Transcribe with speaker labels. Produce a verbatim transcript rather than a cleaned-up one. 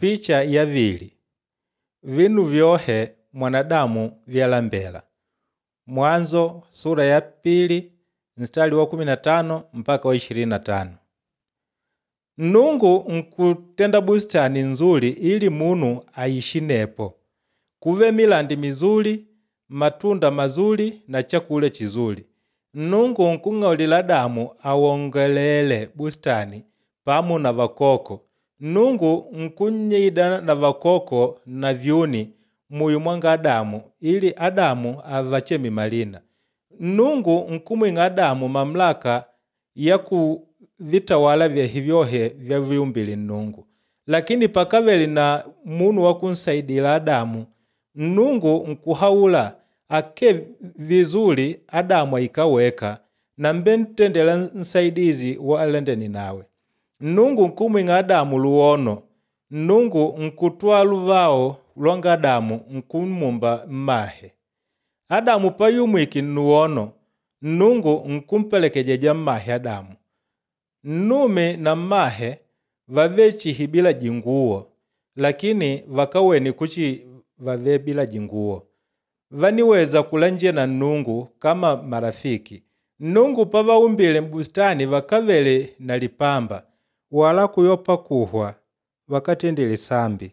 Speaker 1: Picha yavili vinu vyohe mwanadamu vyalambela. Mwanzo sura ya pili mstari wa kumi na tano mpaka wa ishirini na tano. Nnungu nkutenda bustani nzuli ili munu aishi nepo. Kuve milandi mizuli, matunda mazuli na chakula chizuli. Nnungu nkung'aulila Adamu awongelele bustani pamu na vakoko. Nnungu nkunyida na vakoko na vyuni muyo mwanga Adamu ili Adamu avacheme malina. Nnungu nkumwing'a Adamu mamlaka ya kuvitawala vyehe vyohe vyaviumbile Nnungu. Lakini pakavele na munu wa kunsaidila Adamu, Nnungu nkuhaula ake vizuri Adamu aikaweka na mbentendela nsaidizi wa alendene nawe. Nnungu nkumwing'a Adamu luwono. Nnungu nkutwaa luvao lwanga Adamu nkumumba mmahe. Adamu payumwiki nnuwono, Nnungu nkumpelekejeja mmahe Adamu. Nnume na mmahe vave chihi bila jinguwo, lakini vakawene kuchi vave bila jinguwo. Vaniweza kulanje na Nnungu kama marafiki. Nnungu pavaumbile mbustani vakavele na lipamba, wala kuyopa kuhwa vakatendile sambi.